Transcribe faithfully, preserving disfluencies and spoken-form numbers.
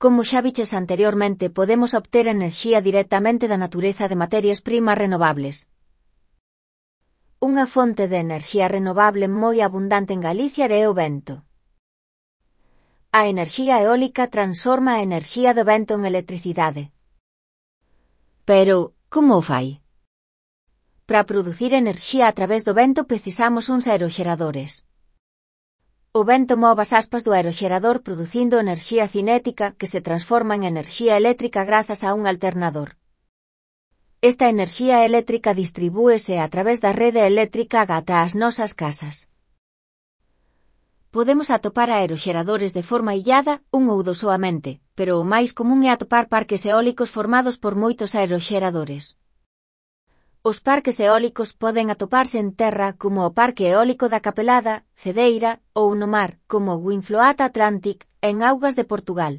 Como xa viches anteriormente, podemos obter enerxía directamente da natureza de materias primas renovables. Unha fonte de enerxía renovable moi abundante en Galicia é o vento. A enerxía eólica transforma a enerxía do vento en electricidade. Pero, como o fai? Para producir enerxía a través do vento precisamos uns aeroxeradores. O vento move as aspas do aeroxerador producindo enerxía cinética que se transforma en enerxía eléctrica grazas a un alternador. Esta enerxía eléctrica distribúese a través da rede eléctrica ata as nosas casas. Podemos atopar aeroxeradores de forma illada, un ou dos soamente, pero o máis común é atopar parques eólicos formados por moitos aeroxeradores. Os parques eólicos poden atoparse en terra como o Parque Eólico da Capelada, Cedeira, ou no mar, como o Windfloat Atlantic, en augas de Portugal.